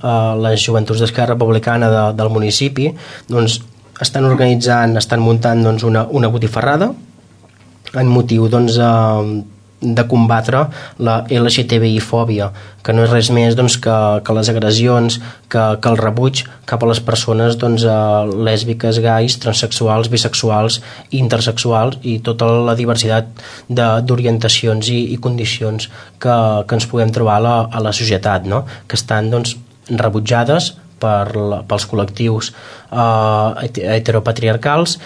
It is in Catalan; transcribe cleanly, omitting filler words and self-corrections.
les joventuts d'Esquerra Republicana del municipi doncs, estan muntant doncs, una botifarrada en motiu doncs, de combatre la LGTBI-fòbia, que no és res més doncs, que les agressions, que el rebuig cap a les persones doncs, lèsbiques, gais, transsexuals, bisexuals, intersexuals i tota la diversitat d'orientacions i condicions que ens puguem trobar a la societat, no? Que estan doncs, rebutjades pels col·lectius heteropatriarcals